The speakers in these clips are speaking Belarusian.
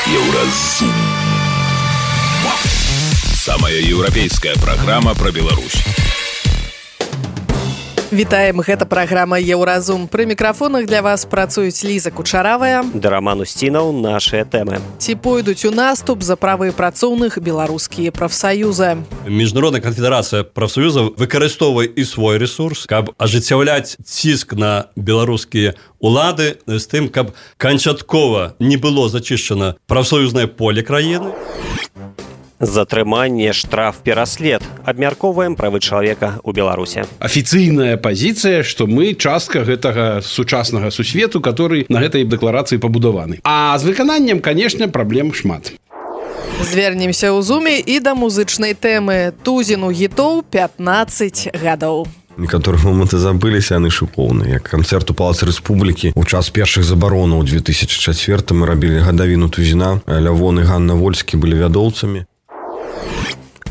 Еўразум. Самая еўрапейская праграма пра Беларусь. Вітаем, гэта праграма «Еўразум». Пры мікрафонах для вас працуюць Ліза Кучаравая да Роман Устінаў. Нашыя тэмы. Ці пойдуць у наступ за правы працоўных беларускія прафсаюзы? Міжнародная канфедэрацыя прафсаюзаў выкарыстоўвае і свой ресурс, каб ажыццяўляць ціск на беларускія улады з тым, каб канчаткова не было зачышчана прафсаюзнае поле краіны. Затрыманне, штраф, пераслед. Абмяркоўваем правы чалавека ў Беларусі. Афіцыйная пазіцыя, што мы частка гэтага сучаснага сусвету, который на гэтай дэкларацыі пабудаваны. А з выкананнем, канешне, праблем шмат. Звернемся ў зуме і да музычнай тэмы. Тузіну гітоў 15 гадоў. Некаторыя моманты забыліся, яны шыкоўныя. Як канцэрт у Палацы Рэспублікі ў час першых забаронаў у 2004 мы рабілі гадавіну Тузіна. Лявон і Ганна Вольскі былі вядоўцамі.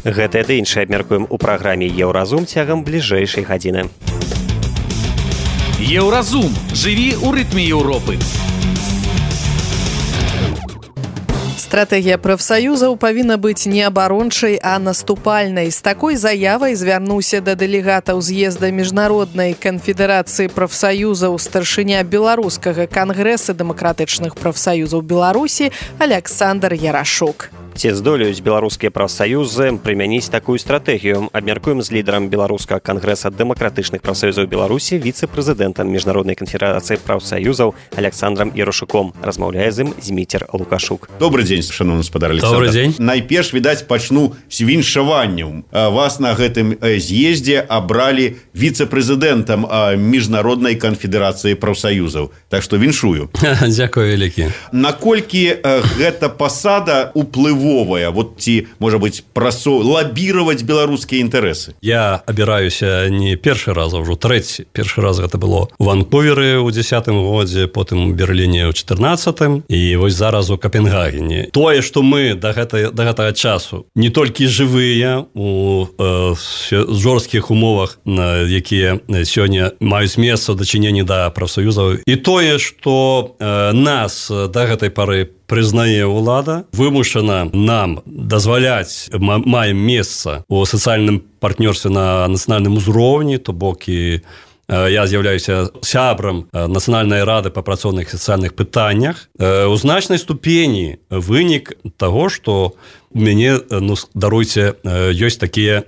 Гэтае ды іншае абмяркуем у праграме «Еўразум» цягам бліжэйшай гадзіны. Еўразум. Жыві ў рытме Еўропы. Стратэгія прафсаюзаў павінна быць не абарончай, а наступальнай. З такой заявай звярнуўся да дэлегатаў з'езда Міжнароднай канфедэрацыі прафсаюзаў старшыня Беларускага кангрэса дэмакратычных прафсаюзаў Беларусі Аляксандр Ярашук. Ці здолеюць беларускія прафсаюзы прымяніць такую стратэгію? Абмяркуем з лідарам Беларускага кангрэса дэмакратычных прафсаюзаў Беларусі, віцэ-прэзідэнтам Міжнароднай канфедэрацыі прафсаюзаў Аляксандрам Ярашуком. Размаўляе з ім Зміцер Лукашук. Добрый дзень, шановны спадар Александр. Добрый дзень. Найперш, відаць, пачну з віншаваннем. Вас на гэтым з'ездзе абралі віцэ-прэзідэнтам Міжнароднай канфедэрацыі прафсаюзаў. Так што віншую. Дзякую вялікі. Наколькі гэта пасада уплывовая, вот ці, можа быць, лабіраваць беларускія інтарэсы? Я абіраюся не першы раз, а ўжо трэці. Першы раз гэта было у Ванкуверы ў 10-м годзе, потым у Берліне ў 14-м і вось зараз у Капенгагене. Тое, што мы да гэтага часу не толькі жывыя у жорсткіх умовах, якія сёння маюць месца ў дачыненні да прафсаюзаў, і тое, што нас да гэтай пары прызнае ўлада, вымушана нам дазваляць, маем месца у сацыяльным партнёрстве на нацыянальным узроўні, то бок і я з'яўляюся сябрам Нацыянальнай рады па працоўных і сацыяльных пытаннях. У значнай ступені вынік таго, што у мяне, даруйце, ёсць такія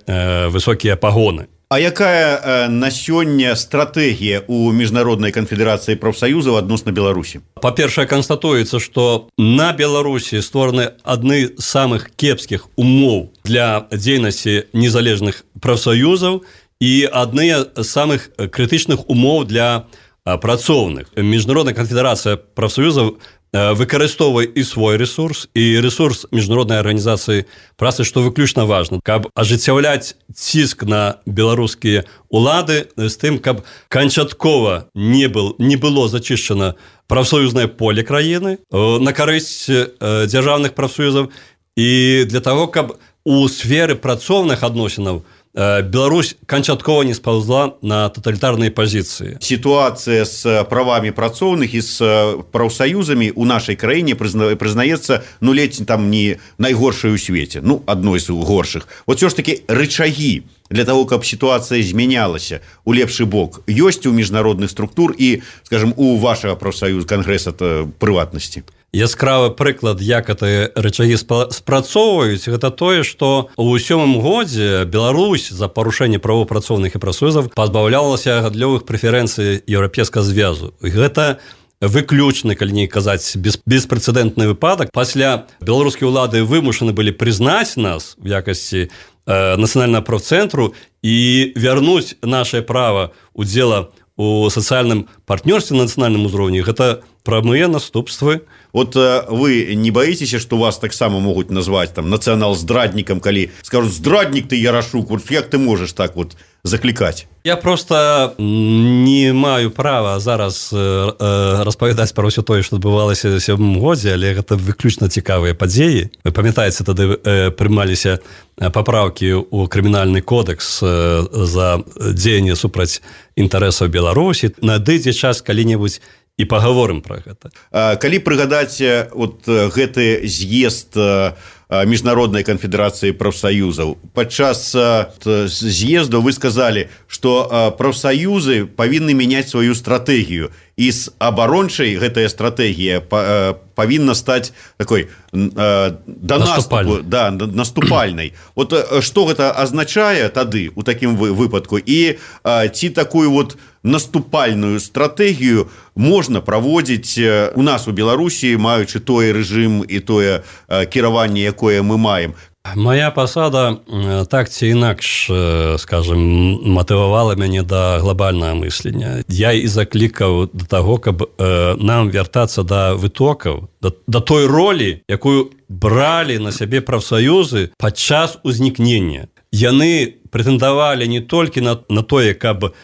высокія пагоны. А якая на сёння стратэгія ў Міжнароднай канфедэрацыі прафсаюзаў адносна Беларусі? Па-першае, канстатуецца, што на Беларусі створаны адны з самых кепскіх умоў для дзейнасці незалежных прафсаюзаў і адны з самых крытычных умоў для працоўных. Міжнародная канфедэрацыя прафсаюзаў выкарыстоўвае і свой ресурс, і ресурс Міжнароднай арганізацыі працы, што выключна важна, каб ажыццяўляць ціск на беларускія улады з тым, каб канчаткова не было зачышчана прафсаюзнае поле краіны на карысць дзяржаўных прафсаюзаў, і для таго, каб у сферы працоўных адносінаў Беларусь канчаткова не спаўзла на таталітарныя пазіцыі. Сітуацыя з правамі працоўных і з прафсаюзамі ў нашай краіне прызнаецца, ледзь там не найгоршай у свеце, адной з горшых. Вот все ж таки рычагі для того, каб сітуацыя змянялася у лепшы бок, ёсць у міжнародных структур і, скажем, у вашага прафсаюза кангрэса прыватнасці? Яскравы прыклад, як гэтыя рычагі спрацоўваюць, гэта тое, што ў 7-м годзе Беларусь за парушэнне правоў працоўных і прафсаюзаў пазбаўлялася гандлёвых прэферэнцый Еўрапейскага звязу. Гэта выключны, калі не казаць, беспрэцэдэнтны выпадак. Пасля беларускія ўлады вымушаны былі прызнаць нас в якасці нацыянальнага прафцэнтру і вярнуць нашае права удзела у сацыяльным партнёрстве на нацыянальным узроўні. Гэта прамыя наступствы. Вот вы не боитесь, что вас таксама могуць назваць там нацыянал-здраднікам, калі скажут: здраднік ты, Ярашук, вот як ты можаш так вот заклікаць? Я просто не маю права зараз распавядаць пра ўсё тое, што адбывалася ў 7-м годзе, але гэта выключна цікавыя падзеі. Вы памятаеце, тады прымаліся папраўкі ў крымінальны кодекс за дзеянне супраць інтарэсаў Беларусі. Надыдзе час калі-небудзь і пагаворым пра гэта. Калі прыгадаць вот гэты з'езд Міжнароднай канфедэрацыі прафсаюзаў, падчас з'езду вы сказалі, што прафсаюзы павінны мяняць сваю стратэгію, і з абарончай гэтая стратэгія павінна стаць такой наступальнай. Вот што гэта азначае тады у такім выпадку, і ці такую вот наступальную стратэгію можна праводзіць у нас у Беларусі, маючы той рэжым і тое кіраванне, якое мы маем? Моя пасада так ці інакш, скажем, матывавала мяне да глобальнага мыслення. Я і заклікаў да таго, каб нам вяртацца да вытокаў, да той ролі, якую бралі на сябе прафсаюзы падчас узнікнення. Яны прэтэндавалі не толькі на тое, каб,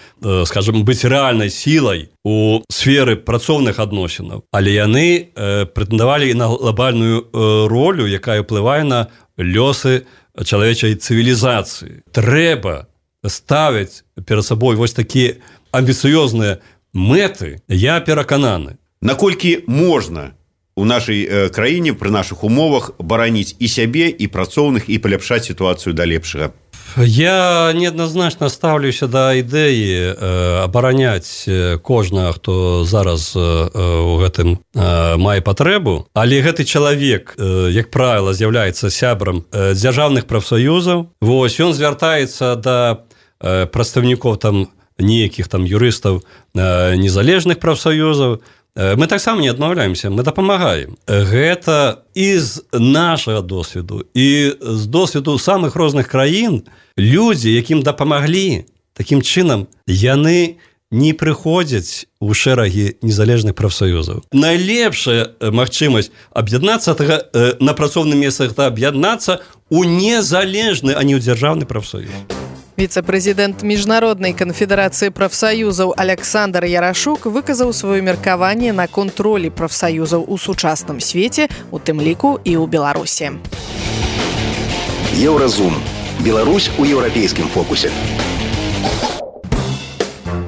скажем, быць рэальнай сілай у сферы працоўных адносінаў, але яны прэтэндавалі і на глобальную ролю, якая ўплывае на лёсы чалавечай цывілізацыі. Трэба ставіць перад сабой вось такія амбіцыёзныя мэты, я перакананы. Наколькі можна у нашай краіне пры нашых умовах бараніць і сябе, і працоўных, і паляпшаць сітуацыю да лепшага? Я неадназначна стаўлюся да ідэі абараняць кожнага, хто зараз у гэтым мае патрэбу, але гэты чалавек, як правіла, з'яўляецца сябрам дзяржаўных прафсаюзаў. Вось, ён звяртаецца да прадстаўнікоў там нейкіх там юрыстаў незалежных прафсаюзаў. Мы таксама не адмаўляемся, мы дапамагаем. Гэта і з нашага досведу, і з досведу самых розных краін людзі, якім дапамаглі, такім чынам яны не прыходзяць у шэрагі незалежных прафсаюзаў. Найлепшая магчымасць аб'яднацца на працоўным месцах, аб'яднацца у незалежны, а не ў дзяржаўны прафсаюз. Віцэ-прэзідэнт Міжнароднай канфедэрацыі прафсаюзаў Александр Ярашук выказаў сваё меркаванне наконт ролі прафсаюзаў у сучасным свеце, у тым ліку і ў Беларусі. Еўразум. Беларусь у еўрапейскім фокусе.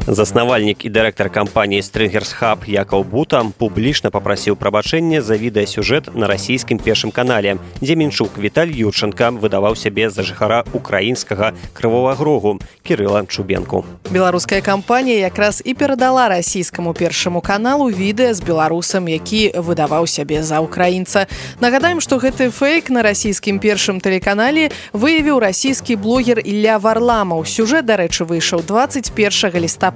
Заснавальнік і дырэктар кампаніі Stringers Hub Якаў Бута публічна папрасіў прабачэння за відэасюжэт на расійскім першым канале, дзе Мінчук Віталь Юрченка выдаваў сябе за жыхара украінскага Крывога Рогу Кірыла Чубенку. Беларуская кампанія якраз і перадала расійскаму першаму каналу відэа з беларусам, які выдаваў сябе за украінца. Нагадаем, што гэты фейк на расійскім першым тэлеканале выявіў расійскі блогер Ілля Варламаў. Сюжэт, дарэчы, выйшаў 21 лістапада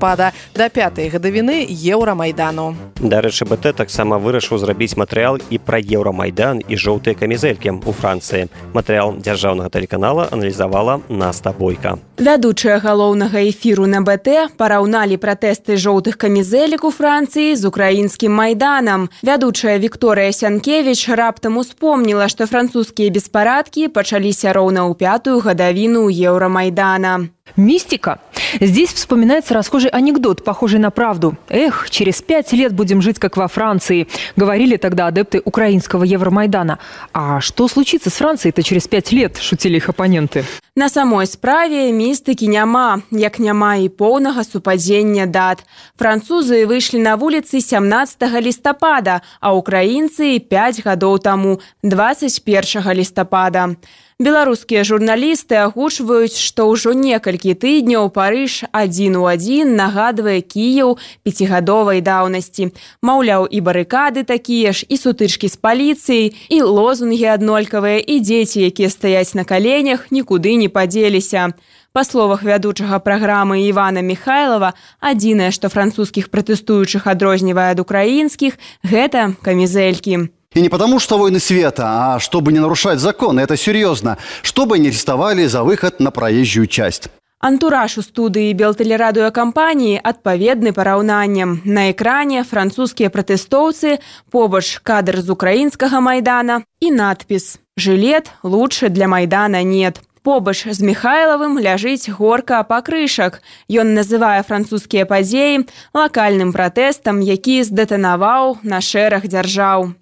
да 5-й гадавіны Еўрамайдану. Дарэчы, БТ таксама вырашыў зрабіць матэрыял і пра Еўрамайдан і жоўтыя камізэлькі ў Францыі. Матэрыял дзяржаўнага тэлеканала аналізавала Наста Бойка. Вядучыя галоўнага эфіру на БТ параўналі пратэсты жоўтых камізэлек у Францыі з украінскім майданам. Вядучая Вікторыя Сянкевіч раптам успомніла, што французскія беспарадкі пачаліся роўна ў 5-ю гадавіну Еўрамайдана. Мистика. Здесь вспоминается расхожий анекдот, похожий на правду. Эх, через 5 лет будем жить, как во Франции, говорили тогда адепты украинского Евромайдана. А что случится с Францией-то через 5 лет, шутили их оппоненты. На самой справе містыкі няма, як няма і поўнага супадзення дат. Французы выйшлі на вуліцы 17 лістапада, а украінцы 5 гадоў таму, 21 лістапада. Беларускія журналісты агучваюць, што ўжо некалькі тыдняў Парыж 1 у 1 нагадвае Кіеў 5гадовай даўнасці. Маўляў, і барыкады такія ж, і сутычкі з паліцыяй, і лозунгі аднолькавыя, і дзеці, якія стаяць на каленях, нікуды не падзеліся. Па словах вядучага праграмы Івана Михайлова, адзінае, што французскіх пратэстуючых адрознівае ад украінскіх, гэта камізэлькі. И не потому, что войны света, а чтобы не нарушать законы, это серьезно, чтобы не арестовали за выход на проезжую часть. Антураж у студыі белтэлерадыёкампаніі адпаведны параўнанням. На экране французскія пратэстоўцы, побач кадр з украінскага майдана і надпіс «Жылет лучше для майдана нет». Побач з Михайловым ляжыць горка пакрышак. Ён называе французскія падзеі лакальным пратэстам, які здэтанаваў на шэраг дзяржаў.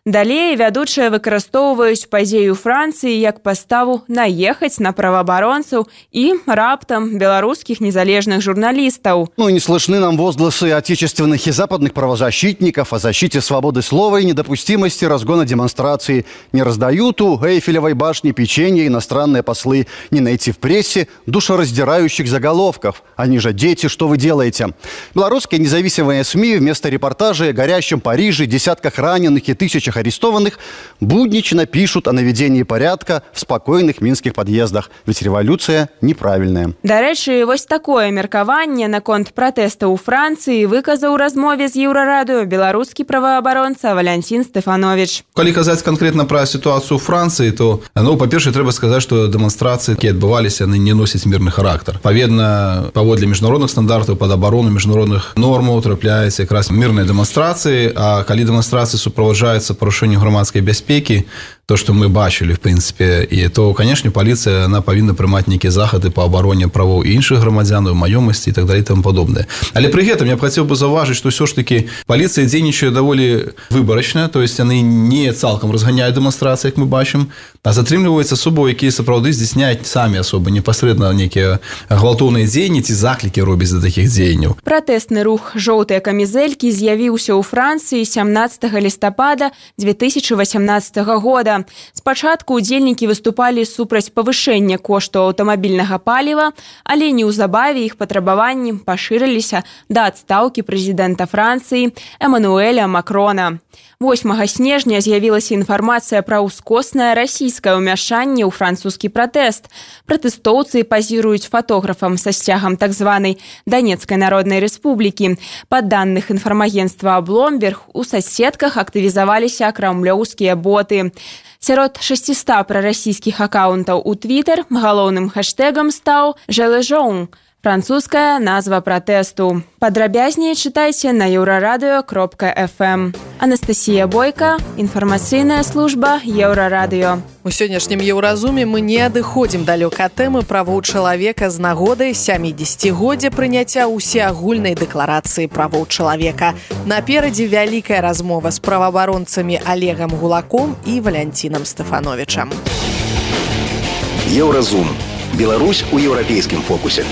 Далей вядучыя выкарыстоўваюць падзею Францыі як паставу наехаць на праваабаронцаў і раптам беларускіх незалежных журналістаў. Ну и не слышны нам возгласы отечественных и западных правозащитников о защите свободы слова и недопустимости разгона демонстрации. Не раздают у Эйфелевой башни печенье иностранные послы, не найти в прессе душераздирающих заголовков. Они же дети, что вы делаете? Белорусские независимые СМИ вместо репортажей о горящем Париже, десятках раненых и тысячах арестованных буднично пишут о наведении порядка в спокойных минских подъездах. Ведь революция неправильная. Дарэчы, вось такое меркаванне наконт пратэста ў Францыі выказаў у размове з Еўрарадыё беларускі праваабаронца Валянцін Стэфанович. Калі казаць канкрэтна пра сітуацыю ў Францыі, то, па-першае, трэба сказаць, што дэманстрацыі, якія адбываліся, яны не носяць мірны характар. Паведна, паводле міжнародных стандартаў, пад абарону міжнародных нормаў трапляюцца якраз мірныя дэманстрацыі, а калі дэманстрацыі суправаджаюцца парушэнню грамадскай бяспекі, то, што мы бачылі, в прынцыпе, і то, канешне, паліцыя, она павінна прымаць нейкія захады па абароне правоў іншых грамадзянаў, маёмасці і так далее і тому падобнае. Але пры гэтым я б хацеў бы заўважыць, што ўсё ж такі паліцыя дзейнічае даволі выбарачна, то есть яны не цалкам разганяюць дэманстрацыі, як мы бачым, а затрымліваюць асобаў, якія сапраўды здзяйсняюць самі асобы, непасрэдна нейкія гвалтоўныя дзеянні ці заклікі робяць да такіх дзеянняў. Пратэсны рух «Жоўтыя камізэлькі» з'явіўся ў Францыі 17 лістапада 2018 года. Спачатку удзельнікі выступалі супраць павышэння кошту аўтамабільнага паліва, але неўзабаве іх патрабаванні пашырыліся да адстаўкі прэзідэнта Францыі Эмануэля Макрона. 8 снежня з'явілася інфармацыя пра ўскоснае расійскае ўмяшанне ў французскі пратэст. Пратэстоўцы пазіруюць фотографам са сцягам так званай Донецкай народнай рэспублікі. Па даных інфармагенцтва Bloomberg, у соцсетках актывізаваліся крамлёўскія боты. Сярод 600 прарасійскіх акаунтаў у Twitter галоўным хэштэгам стаў «Жележоун» – французская назва пратэсту. Падрабязней чытайце на euraradыё.fm. Анастасія Бойка, інфармацыйная служба Еўрарадыё. У сённяшнім Еўразуме мы не адыходзім далёк ад тэмы правоў чалавека з нагоды 70-годдзя прыняцця ўсеагульнай дэкларацыі правоў чалавека. Наперадзе вялікая размова з праваабаронцамі Олегам Гулаком і Валянцінам Стэфановічам. Еўразум. Беларусь у еўрапейскім фокусе.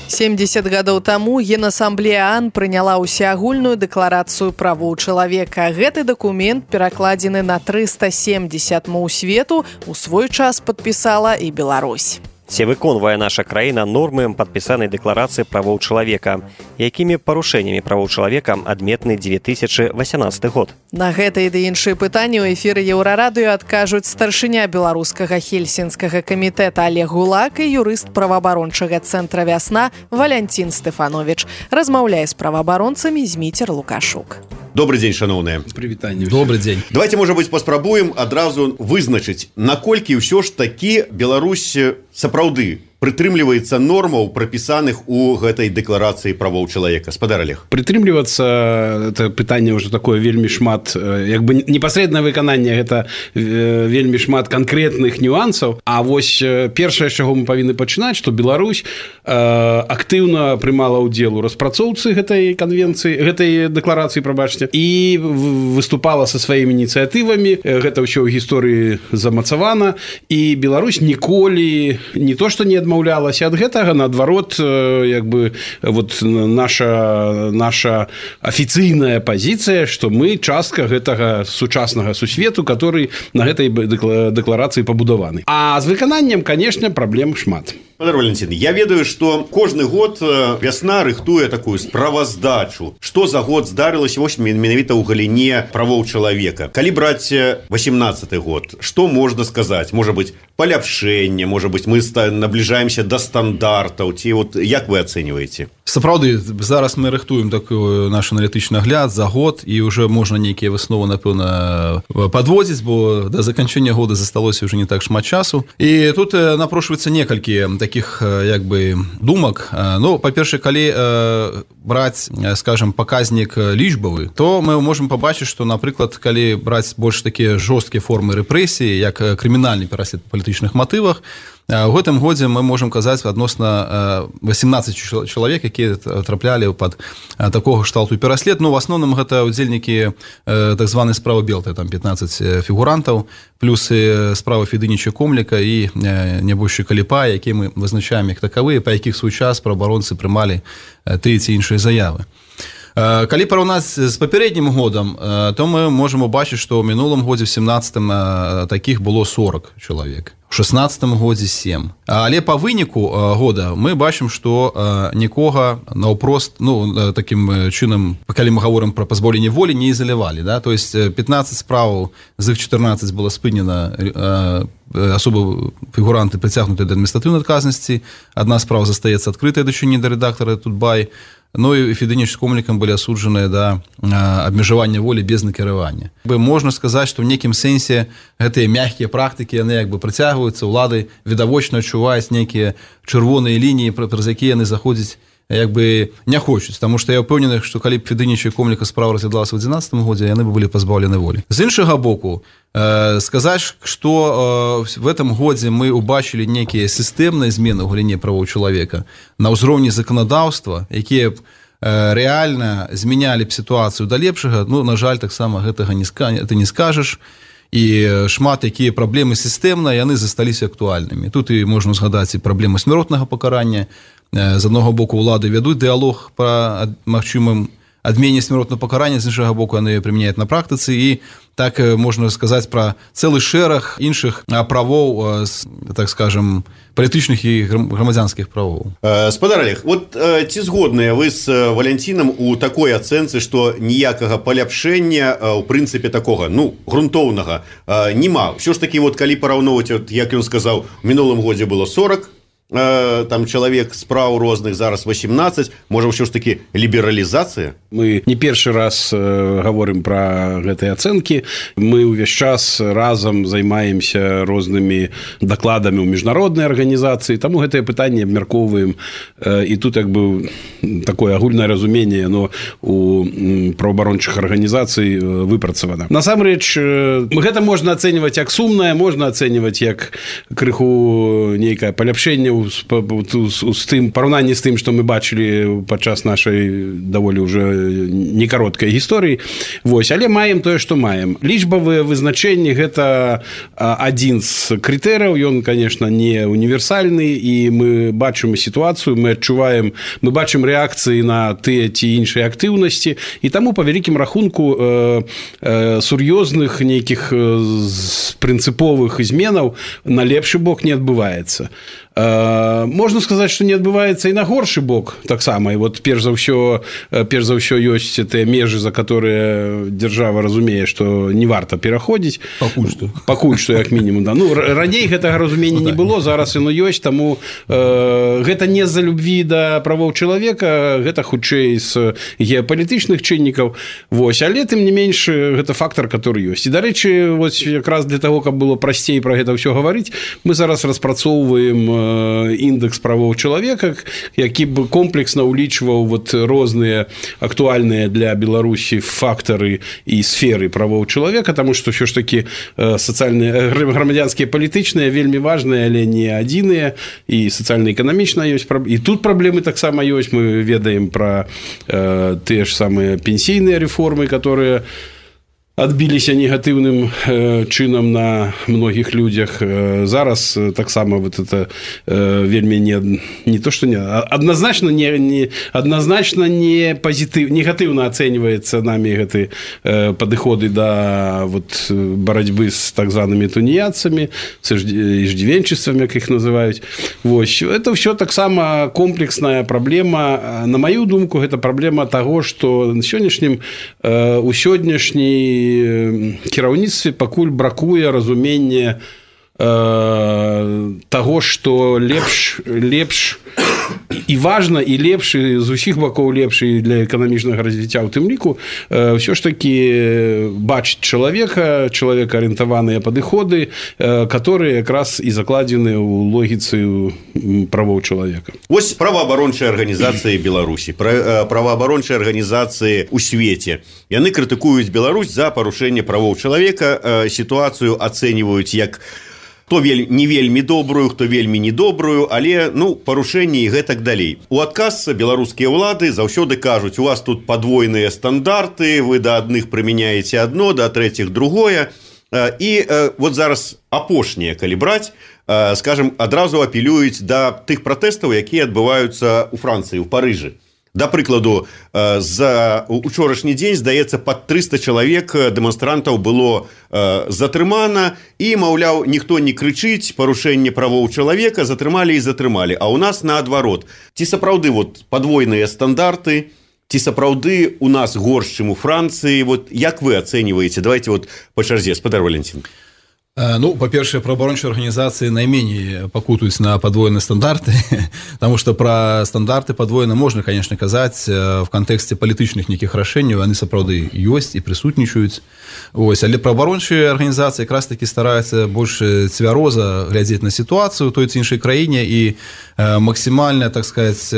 70 гадоў таму Генасамблея ААН прыняла ўсеагульную дэкларацыю правоў чалавека. Гэты дакумент, перакладзены на 370 моў свету, у свой час падпісала і Беларусь. Ці выконвае наша краіна нормы падпісанай дэкларацыі правоў чалавека? Якімі парушэннямі правоў чалавека адметны 2018 год? На гэтыя ды іншыя пытанні ў эфіры Еўрарадыё адкажуць старшыня беларускага хельсінскага камітэта Олег Гулак і юрыст праваабарончага цэнтра «Вясна» Валянцін Стэфанович. Размаўляе з праваабаронцамі Зміцер Лукашук. Добрый день, шановные. Прывітанне. Добрый день. Давайте, может быть, паспрабуем адразу вызначыць, наколькі ўсё ж такі Беларусь сапраўды прытрымліваецца нормаў, прапісаных у гэтай дэкларацыі правоў чалавека. Спадар Олег. Прытрымлівацца, это пытанне ўжо такое вельмі шмат, як бы непасрэднае выкананне, гэта вельмі шмат канкрэтных нюансаў. А вось першае, з чаго мы павінны пачынаць, што Беларусь актыўна прымала ўдзел у распрацоўцы гэтай канвенцыі, гэтай дэкларацыі, прабачце, і выступала са сваімі ініцыятывамі. Гэта ўсё ў гісторыі замацавана, і Беларусь ніколі не то што не адмаўлялася ад гэтага, наадварот, як бы вот наша афіцыйная пазіцыя, што мы частка гэтага сучаснага сусвету, который на гэтай дэкларацыі пабудаваны. А з выкананнем, конечно, праблем шмат. Спадар Валентин, я ведаю, что кожны год «Вясна» рыхтуе такую справаздачу, что за год здарылася вось менавіта ў галіне правоў чалавека. Калі браць 18 год, что можно сказать? Может быть, паляпшэнне, может быть, мы наближаемся до стандартаў, ці вот як вы оцениваете? Сапраўды, зараз мы рыхтуем такой наш аналітычны агляд за год, і уже можна нейкія высновы, напэўна, падводзіць, бо да заканчэння года засталося уже не так шмат часу. І тут напрошваецца некалькі таких, як бы, думак. Ну, па-першае, калі браць, скажем, паказнік лічбавы, то мы можем пабачыць, што, напрыклад, калі браць больш такія жорсткія формы рэпрэсіі, як крымінальны пераслед па палітычных матывах, у гэтым годзе мы можам казаць адносна 18 чалавек, якія якія траплялі пад такога кшталту пераслед. Ну, в асноўным гэта удзельнікі так званай справы Белты, там 15 фігурантаў, плюс справа Федыніча Комліка і нябожчы Каліпа, які мы вызначаем як такавыя, па якіх свой час праваабаронцы прымалі тыя ці іншыя заявы. Калі параўнаць з папярэднім годам, то мы можам убачыць, што ў мінулым годзе, в 17-м, такіх было 40 чалавек. У 16-м годзе 7. Але па выніку года мы бачым, што нікога наўпрост, ну, такім чынам, калі мы гаворым пра пазбаўленне волі, не ізалявалі. Да? То есть 15 справаў, з іх 14 было спынена, асобы фігуранты прыцягнуты да адміністратыўнай адказнасці, адна справа застаецца адкрытая дачыненне да рэдактара Тутбай, ну і Федыніч з Комлікам былі асуджаныя да абмежавання волі без накіравання. Можна сказаць, што ў нейкім сэнсе гэтыя мяккія практыкі, яны як бы прыцягваюцца, улады відавочна адчуваюць нейкія чырвоныя лініі, праз якія яны заходзяць як бы не хочуць, таму што я ўпэўнены, што калі б Федыніча і Комліка справа разглядалася ў 11 годзе, яны бы былі пазбаўлены волі. З іншага боку, сказаць, што в этом годзе мы убачылі нейкія сістэмныя змены ў галіне правоў чалавека на ўзроўні заканадаўства, якія б рэальна змянялі б сітуацыю да лепшага, ну, на жаль, таксама гэтага ты не скажаш, і шмат якія праблемы сістэмна, яны засталіся актуальнымі. Тут і можна згадаць і праблемы смяротнага пакарання. З аднаго боку улады вядуць дыялог па магчымым адмене смяротнага пакарання, з іншага боку яны прымяняюць на практыцы, і так можна сказаць пра цэлы шэраг іншых правоў, так скажем, палітычных і грамадзянскіх правоў. Спадар Олег, вот ці згодныя вы з Валянцінам у такой ацэнцы, што ніякага паляпшэння у прынцыпе такога, ну, грунтоўнага няма. Ўсё ж такі, вот калі параўноўваць, вот, як ён сказаў, у мінулым годзе было 40 там чалавек справ розных, зараз 18, можа ўсё ж такі лібералізацыя? Мы не першы раз гаворым пра гэтыя ацэнкі. Мы ўвесь час разам займаемся рознымі дакладамі ў міжнароднай арганізацыі, таму гэтае пытанне абмяркоўваем, і тут як бы такое агульнае разуменне, яно у праваабарончых арганізацый выпрацавана. Насамрэч, гэта можна ацэньваць як сумнае, можна ацэньваць як крыху нейкае паляпшэнне з тым параўнанні з тым, што мы бачылі падчас нашай даволі ўжо некароткай гісторыі. Вось, але маем тое, што маем. Лічбавыя вызначэнні гэта адзін з крытэрыяў, ён, конечно, не універсальны, і мы бачым сітуацыю, мы адчуваем, мы бачым рэакцыі на тыя ці іншыя актыўнасці, і таму па вялікім рахунку сур'ёзных нейкіх прынцыповых зменаў на лепшы бок не адбываецца. Можна сказаць, што не адбываецца і на горшы бок таксама. І вот перш за ўсё ёсць тыя межы, за которые дзяржава разумее, што не варта пераходзіць. Пакуль што як мінімум, да. Ну, раней гэтага разумення не было, зараз яно ёсць, таму гэта не з-за любві да правоў чалавека, гэта хутчэй з геапалітычных чыннікаў. Вось, але тым не менш гэта фактар, который ёсць. І, дарэчы, вось якраз для таго, каб было прасцей пра гэта ўсё гаварыць, мы зараз распрацоўваем індекс правоў чалавека, які б комплексна ўлічваў вот розныя актуальныя для Беларусі фактары і сферы правоў чалавека, таму што ўсё ж такі сацыяльныя, грамадзянскія, палітычныя вельмі важныя, але не адзіныя, і сацыяльна-эканамічна ёсць, і тут праблемы таксама ёсць. Мы ведаем пра тыя ж самыя пенсійныя рэформы, которые адбіліся негатыўным чынам на многіх людзях. Зараз таксама вот это вельмі не то, што не адназначна не пазітыў, негатыўна ацэньваецца нами гэты падыходы да вот барацьбы з так званымі туніяцамі, иждивенчествам, як іх называюць. Вось, это ўсё таксама комплексная праблема. На маю думку, гэта праблема таго, што на сённяшнім у сённяшняй кіраўніцтве пакуль бракуе разумення таго, што лепш і важна, і лепш, і з усіх бакоў лепш і для эканамічнага развіцця ў тым ліку, ўсё ж такі бачыць чалавека, чалавекаарыентаваныя падыходы, которые якраз і закладзены ў логіцы правоў чалавека. Вось праваабарончыя арганізацыі Беларусі, праваабарончыя арганізацыі ў свеце. Яны крытыкуюць Беларусь за парушэнне правоў чалавека, сітуацыю ацэньваюць як хто не вельмі добрую, хто вельмі недобрую, але парушэнні і гэтак далей. У адказ беларускія ўлады заўсёды кажуць, у вас тут падвойныя стандарты, вы да адных прымяняеце адно, да трэціх другое. І вот зараз апошнія, калі браць, скажем, адразу апелююць да тых пратэстаў, якія адбываюцца ў Францыі, ў Парыжы. Да прыкладу, за учорашні дзень, здаецца, пад 300 чалавек дэманстрантаў было затрымана, і, маўляў, ніхто не крычыць, парушэнне правоў чалавека, затрымалі і затрымалі. А ў нас наадварот. Ці сапраўды падвойныя стандарты, ці сапраўды у нас горш, чым у Францыі? Як вы ацэньваеце? Давайте па чарзе, спадар Валентин. По-перше, правоабарончие организации наименее покутаются на подвоенные стандарты, потому что про стандарты подвоенные можно, конечно, казать в контексте политичных неких решений, они сапраўды есть и присутничают. Але правоабарончие организации как раз-таки стараются больше цвяроза глядеть на ситуацию в той ці іншай краине и максимально, так сказать,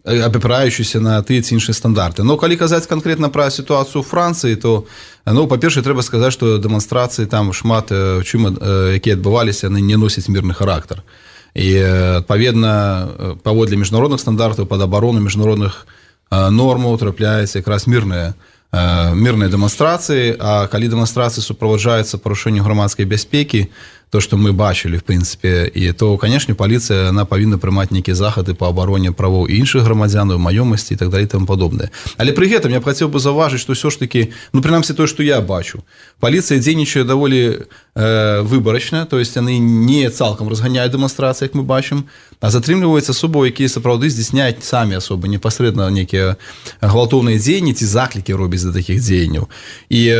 опирающиеся на тыя ці іншыя стандарты. Но калі казаць конкретно про ситуацию ў Францыі, то, по-перше, трэба сказаць, што дэманстрацыі там шмат чым, якія адбываліся, яны не носяць мірны характар. І, адпаведна, паводле міжнародных стандартаў, пад абарону міжнародных нормаў трапляецца якраз мірныя дэманстрацыі, а калі дэманстрацыі суправаджаюцца парушэннем грамадскай бяспекі, то, что мы бачили, в принципе, и то, конечно, полиция, она повинна приймать некие заходы по обороне правов и інших громадян, майомости и так далее и тому подобное. Але при этом я бы хотел бы зауважить, что все-таки, принамсі то, что я бачу, полиция дзейнічае доволі выборочно, то есть они не цалком разгоняют демонстрации, как мы бачим, а затрымліваюць асобы, якія сапраўды здзяйсняюць самі асобы, непасрэдна некія гвалтоўныя дзеянні ці заклікі робяць да такіх дзеянняў. І,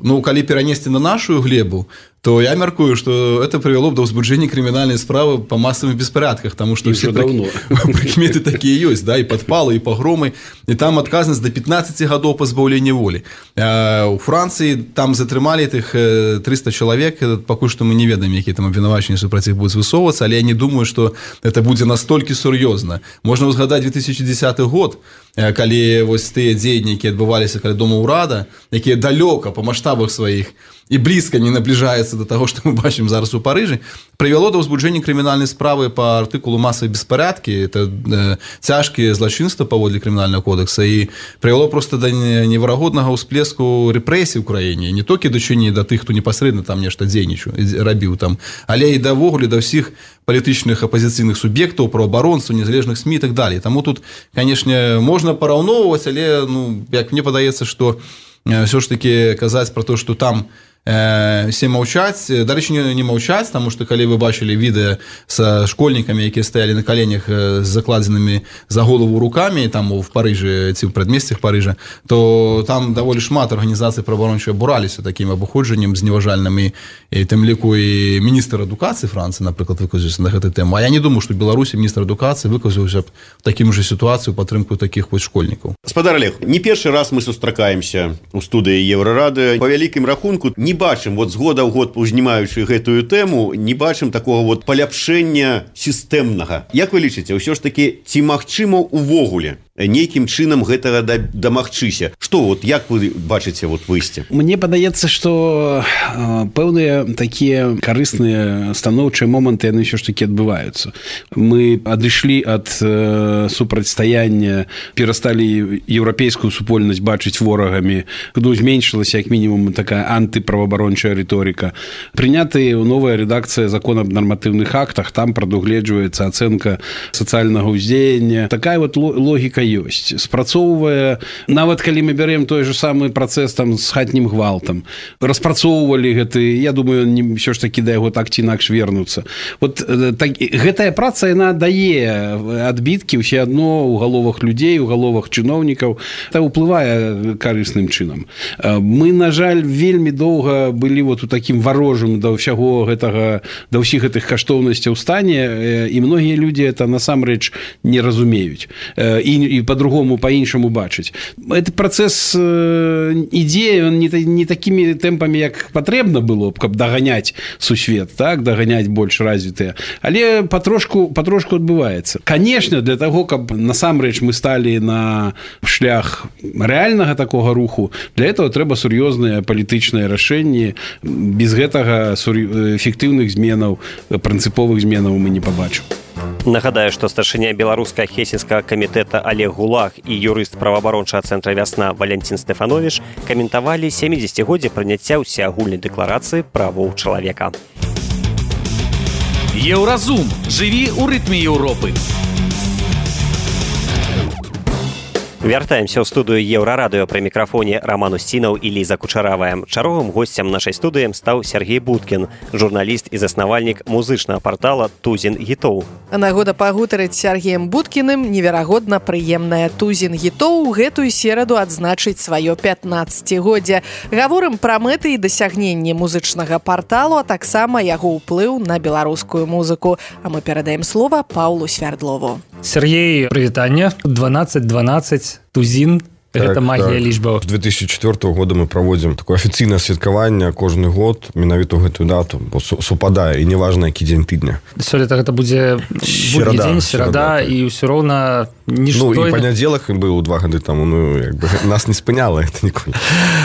калі перанесці на нашу глебу, то я мяркую, что это привело бы до возбуждения криминальной справы по массовым беспорядках, потому что все прикметы такие есть, да, и подпалы, и погромы, и там отказанность до 15 годов позбавления воли. У Франции там затрымали этих 300 человек, пока что мы не ведаем, какие там обвинувачення супротив будут высовываться, але я не думаю, что это будет настолько серьезно. Можно узгадать 2010 год, калі вось тыя дзеянні, якія адбываліся каля дома ўрада, якія далёка па маштабах сваіх і блізка не набліжаецца до того, што мы бачым зараз у Парыжы, прывяло да ўзбуджэння крымінальнай справы па артыкулу масавай беспарадкі, это цяжкія злачынства паводле крымінальнага кодекса, і прывяло просто да неверагоднага ўсплеску рэпрэсій у краіне, не толькі дачынення да тых, хто непасрэдна там нешта дзейнічаў, рабіў там, але і давогуле да ўсіх палітычных апозіцыйных суб'ектаў, праваабаронцаў, незалежных СМІ і так далее. Таму тут, конечно, можна параўноўваць, але, як мне падаецца, што все ж таки казаць про то, что там все маўчаць, дарэчы, не маўчаць, потому что калі вы бачылі відэа с школьнікамі, якія стаялі на коленях з закладзенымі за голову руками там в Парыжы ці ў прадмесцях Парыжа, то там даволі шмат арганізацый праваабарончых абураліся такім абыходжаннем зневажальным, і тым ліку і міністр адукацыі Францыі, напрыклад, выказаўся на гэты тэму. А я не думаю, што Беларусі міністр адукацыі выказаўся б в такім же сітуацыю падтрымку такіх вось школьнікаў. Спадар Олег, не першы раз мы сустракаемся у студыі Еўрарады. Па вялікім рахунку не бачым, з года ў год узнімаючы гэтую тэму, не бачым такого паляпшэння сістэмнага. Як вы лічыце, ўсё ж такі, ці магчыма ўвогуле нейкім чынам гэтага дамагчыся? Што, як вы бачыце выйсце? Мне падаецца, што пэўныя такія карысныя станоўчыя моманты, яны ўсё ж такі адбываюцца. Мы адышлі ад супрацьстаяння, перасталі еўрапейскую супольнасць бачыць ворагамі, зменшылася як мінімум такая антыправаабарончая рыторыка. Прынятая новая рэдакцыя закона аб нарматыўных актах, там прадугледжваецца ацэнка сацыяльнага ўздзеяння. Такая логіка ёсць. Спрацоўвае, нават калі мы бярем той же самы працэс там з хатнім гвалтам, распрацоўвалі гэты, я думаю, ўсё ж такі да яго так ці інакш вернуцца. Гэтая праца, яна дае адбіткі ўсё адно ў галовах людзей, у галовах чыноўнікаў, это ўплывае карысным чынам. Мы, на жаль, вельмі доўга былі у такім варожым да ўсяго гэтага, да ўсіх гэтых каштоўнасцяў стане, і многія людзі это насамрэч не разумеюць. І і по-другому по-іншаму бачыць. Гэты працэс ідзе, он не такімі тэмпамі, як патрэбна было б, каб даганяць сусвет, так, даганяць больш развітыя, але патрошку адбываецца. Канешне, для таго, каб насамрэч мы сталі на шлях рэальнага такога руху, для этого трэба сур'ёзныя палітычныя рашэнні. Без гэтага эфектыўных зменаў, прынцыповых зменаў мы не пабачым. Нагадаю, што старшыня беларускага хельсінскага камітэта Олег Гулаг і юрыст праваабарончага цэнтра «Вясна» Валянцін Стэфановіч каментавалі 70-годдзе прыняцця ўсеагульнай дэкларацыі правоў чалавека. Еўразум. Жыві ў рытме Еўропы. Вяртаемся ў студыю Еўрарадыё, пры мікрафоне Роман Устінаў і Ліза Кучаравая. Чарговым госцем нашай студыі стаў Сергей Будкін, журналіст і заснавальнік музычнага партала «Тузін гітоў». Нагода пагутарыць з Сергеем Будкіным неверагодна прыемная. «Тузін гітоў» гэтую сераду адзначыць сваё 15-годдзе. Гаворым пра мэты і дасягненні музычнага парталу, а таксама яго ўплыў на беларускую музыку. А мы перадаем слова Паўлу Свярдлову. Сергей, прывітанне. 12-12, Тузін. Гэта магія лічбаў. З 2004 года мы праводзім такое афіцыйнае святкаванне кожны год менавіта ў гэтую дату, бо супадае, і неважна, які дзень тыдня. Сёлета гэта будзе будні дзень, серада, і ўсё роўна нішто... Ну, і панядзелак быў 2 гады таму, нас не спыняла гэта ніколі.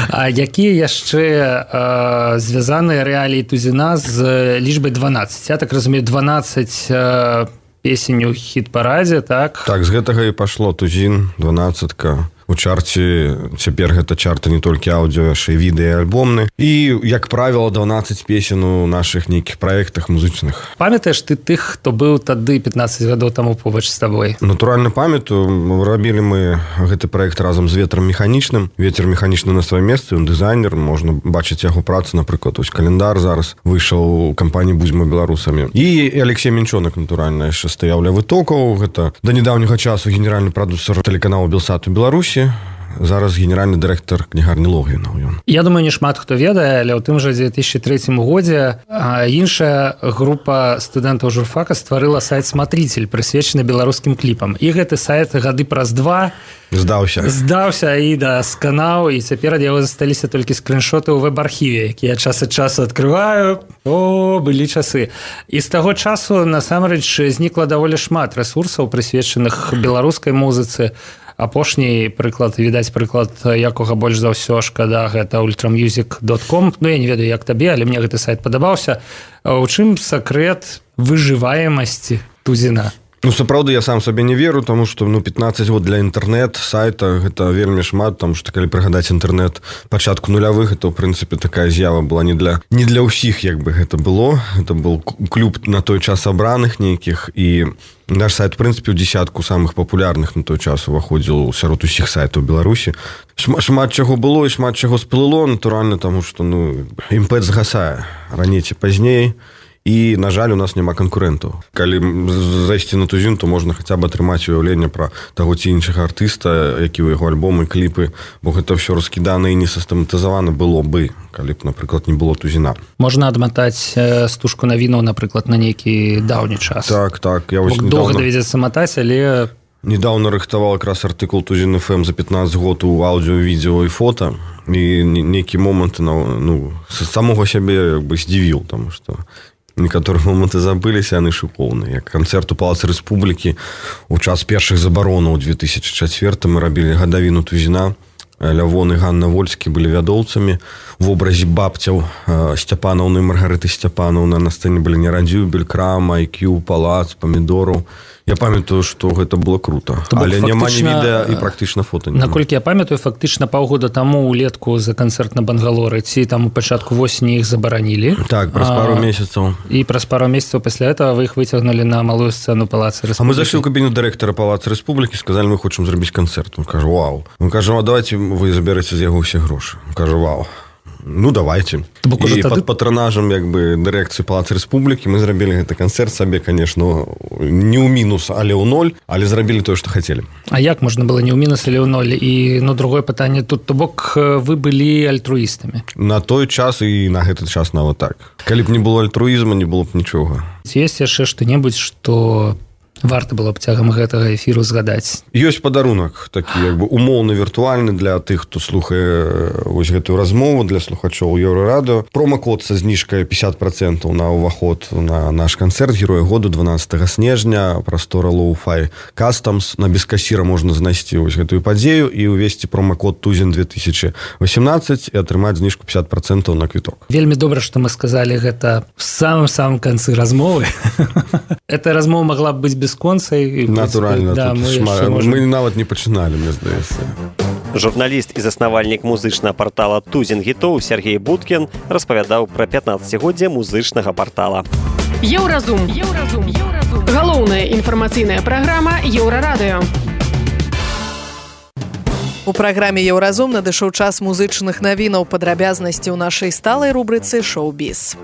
А якія яшчэ звязаныя рэаліі Тузіна з лічбай 12? Я так разумею, 12 песень у хіт-парадзе, так? Так, з гэтага і пашло Тузін, 12-ка. У чарце цяпер гэта чарты не толькі аўдыо, яшчэ і відэа і альбомны. І, як правіла, 12 песен у нашых нейкіх праектах музычных. Памятаеш ты тых, хто быў тады 15 гадоў таму побач з табой? Натуральна памятаю. Рабілі мы гэты праект разам з Ветрам Механічным. Вецер Механічны на сваім месцы, ён дызайнер, можна бачыць яго працу, напрыклад, ось календар зараз выйшаў у кампаніі «Будзьмо беларусамі». І Алексей Мінчонак, натуральна, яшчэ стаяў ля вытокаў. Гэта да недаўняга часу генеральны прадюсер тэлеканалу «Белсат» у Беларусі. Зараз генеральны дырэктар кнігарні Логвінаў ён. Я думаю, не шмат хто ведае, але ў тым жа 2003 годзе іншая група студэнтаў журфака стварыла сайт «Смотритель», прысвечаны беларускім кліпам. І гэты сайт гады праз 2 здаўся і сканаў, і цяпер ад яго засталіся толькі скріншоты ў вэб-архіве, якія час ад часу адкрываю. Былі часы. І з таго часу насамрэч знікла даволі шмат рэсурсаў, прысвечаных беларускай музыцы. Апошні прыклад, відаць прыклад, якога больш за ўсё шкада, гэта ultramusic.com. Я не ведаю, як табе, але мне гэты сайт падабаўся. У чым сакрэт выжываемасці Тузіна? Сапраўды, я сам сабе не веру, таму што 15 год для інтэрнэт-сайта гэта вельмі шмат, таму што калі прыгадаць інтэрнэт пачатку нулявых, то, ў прынцыпе, такая з'ява была не для ўсіх, як бы гэта было. Гэта был клуб на той час абраных нейкіх, і наш сайт, у прынцыпе, у дзесятку самых папулярных на той час уваходзіў сярод усіх сайтаў Беларусі. Шмат чаго было і шмат чаго сплыло, натуральна, таму што імпэт згасае раней ці пазней. І, на жаль, у нас няма канкурэнтаў. Калі зайсці на Тузін, то можна хаця б атрымаць уяўленне пра таго ці іншага артыста, які ў яго альбомы, кліпы, бо гэта ўсё раскідана і не сістэматызавана было бы, калі б, напрыклад, не было Тузіна. Можна адматаць стужку навінаў, напрыклад, на нейкі даўні час. Так. Доўга давядзецца матаць, але... Недаўна рыхтаваў якраз артыкул Тузін FM за 15 год у аўдыо, відео і фота, і нейкі момант самога сябе здзівіў, таму што некаторыя моманты забыліся, яны шыкоўныя. Як канцэрт у Палацы Рэспублікі у час першых забаронаў у 2004 мы рабілі гадавіну Тузіна. Лявон і Ганна Вольскі былі вядоўцамі. В образе бабцяў Сцяпанаўны і Маргарыты Сцяпанаўны на сцэне былі Нерадзюбель, Крама, IQ, Палац, Памідораў. Я памятаю, што гэта было круто. Але няма ні відэа і практычна фота. Наколькі я памятаю, фактычна паўгода таму ўлетку за канцэрт на Бангалоры ці там у пачатку восені іх забаранілі. Так, праз пару месяцаў. І праз пару месяцаў пасля этого вы іх выцягнулі на малую сцэну Палацы Рэспублікі. А мы зайшлі ў кабіну дырэктара Палацы Рэспублікі, сказалі, мы хочам зрабіць канцэрт. Он кажа, вау. Он кажа, давайте вы забераце з яго ўсе грошы. Он кажа, вау. Давайте. І пад патранажам дырэкцыі Палацы Рэспублікі мы зрабілі гэты канцэрт сабе, конечно, не ў мінус, але ў ноль, але зрабілі тое, што хацелі. А як можна было не ў мінус, але ў ноль? І другое пытанне тут, то бок вы былі альтруістамі? На той час і на гэты час нават так. Калі б не было альтруізма, не было б нічога. Ці ёсць яшчэ што-небудзь, што варта было б цягам гэтага эфіру згадаць. Ёсць падарунак такі як бы умоўна віртуальны для тых, хто слухае вось гэтую размову, для слухачоў Еўрарадыо. Промакод са зніжкай 50% на ўваход на наш канцэрт Героя году 12 снежня, прастора Low-Fi Customs. На бескасіра можна знайсці вось гэтую падзею і ўвесці промакод Тузін 2018 і атрымаць зніжку 50% на квіток. Вельмі добра, што мы сказалі гэта в самым канцы размовы. Эта размова могла б быць бясконцай. Натуральна, да, мы нават не пачыналі, мне здаецца. Журналіст і заснавальнік музычнага партала «Тузін гітоў» Сергей Будкін распавядаў пра 15-годдзе музычнага партала. Еўразум. Галоўная інфармацыйная праграма Еўрарадыё. У праграме «Еўразум» надышоў час музычных навінаў, падрабязнасці ў нашай сталай рубрыцы «Шоу-біз».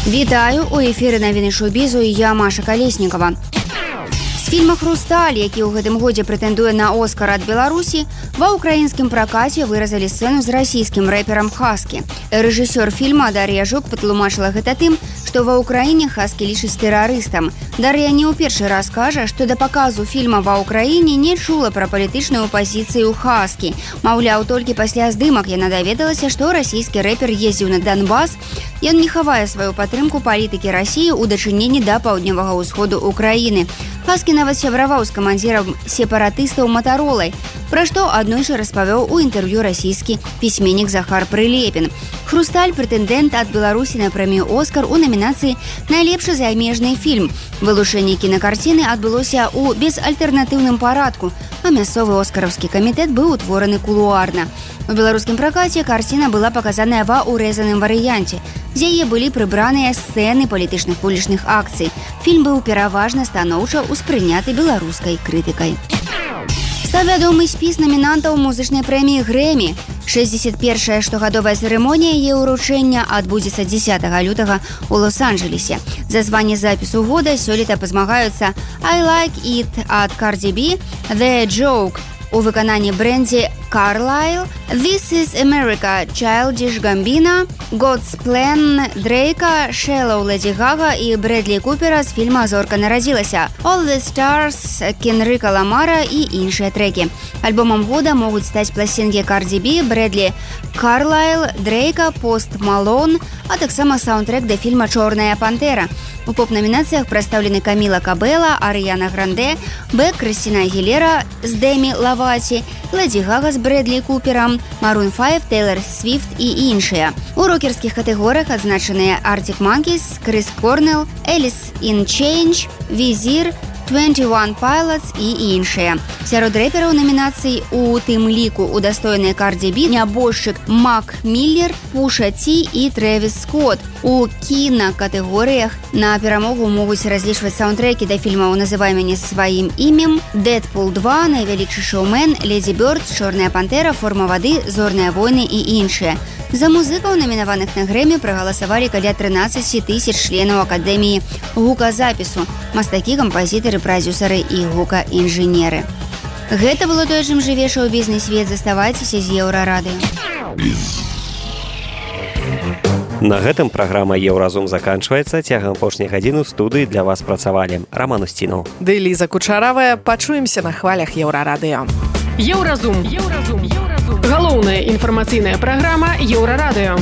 Вітаю, у эфіры навіны шоу-бізу і я, Маша Калеснікава. З фільма «Хрусталь», які ў гэтым годзе прэтэндуе на Оскар ад Беларусі, ва ўкраінскім пракаце выразалі сцэну з расійскім рэперам Хаскі. Рэжысёр фільма Дар'я Жук патлумачыла гэта тым, што ва ўкраіне Хаскі лічыць тэрарыстам. Дар'я не ў першы раз кажа, што да паказу фільма ва ўкраіне не чула пра палітычную пазіцыю Хаскі. Маўляў, толькі пасля здымак яна даведалася, што расійскі рэпер ездзіў на Донбас. Ён не хавае сваю падтрымку палітыкі Расіі ў дачыненні да паўднёвага ўсходу Украіны. Хаскі нават сябраваў з камандзірам сепаратыстаў Матаролай, пра што аднойчы распавёў у інтэрв'ю расійскі пісьменнік Захар Прылепін. «Хрусталь» прэтэндэнт ад Беларусі на прэмію «Оскар» у намінацыі «Найлепшы замежны фільм». Вылучэнне кінакарціны адбылося ў безальтэрнатыўным парадку, а мясцовы оскараўскі камітэт быў утвораны кулуарна. У беларускім пракаце карціна была паказаная ва ўрэзаным варыянце. З яе былі прыбраныя сцэны палітычных вулічных акцый. Фільм быў пераважна станоўча ўспрыняты беларускай крытыкай. Стаў вядомы спіс намінантаў музычнай прэміі «Грэмі». 61-я штогадовая цырымонія яе ўручэння адбудзецца 10 лютага ў Лос-Анджелесе. За званне запісу года сёлета пазмагаюцца «I Like It» ад Cardi B, «The Joke» у выкананні Брэнді Карлайл, «This is America» Childish Gambino, «God's Plan» Дрейка, «Shallow» Леді Гага і Брэдлі Купера з фільма «Зорка нарадзілася», «All the Stars» Кенрыка Ламара і іншыя трэкі. Альбомам года могуць стаць пласцінкі Cardi B, Брэдлі Карлайл, Дрейка, Пост Малон, а таксама саундтрэк да фільма «Чорная пантэра». У поп-намінацыях прадстаўлены Каміла Кабэла, Арыяна Гранде, Бэк, Крыстіна Агілера з Дэмі Лаваці, Леді Гага з Брэдлі Куперам, Maroon 5, Тейлор Свіфт і іншыя. У рокерскіх катэгорыях адзначаныя Arctic Monkeys, Крис Корнелл, Alice in Change, Візір, 21 Pilots і іншыя. Сярод рэпераў намінацый у тым ліку удастоеныя Cardi B, нябожчык Мак Міллер, Пуша Ті і Трэвіс Скотт. У кінакатэгорыях на перамогу могуць разлічваць саундтрэкі да фільмаў «Называй мяне сваім імем», «Дэдпул 2», «Найвялікшы шоумен», «Леді Бёрд», «Чорная пантэра», «Форма вады», «Зорныя войны» і іншыя. За музыкаў, намінаваных на Грэмі, прагаласавалі каля 13 000 членаў Акадэміі гуказапісу, мастакі, кампазітары, прадзюсары і гукаінжынеры. Гэта было тое, чым жыве шоу-бізнес-свет. Заставайцеся з Еўрарадыё. На гэтым праграма «Еўразум» заканчваецца. Цягам апошняй гадзіны ў студыі для вас працавалі Раман Устінаў ды Ліза Кучаравая. Пачуемся на хвалях Еўрарадыё. Еўразум. Галоўная інфармацыйная праграма Еўрарадыё.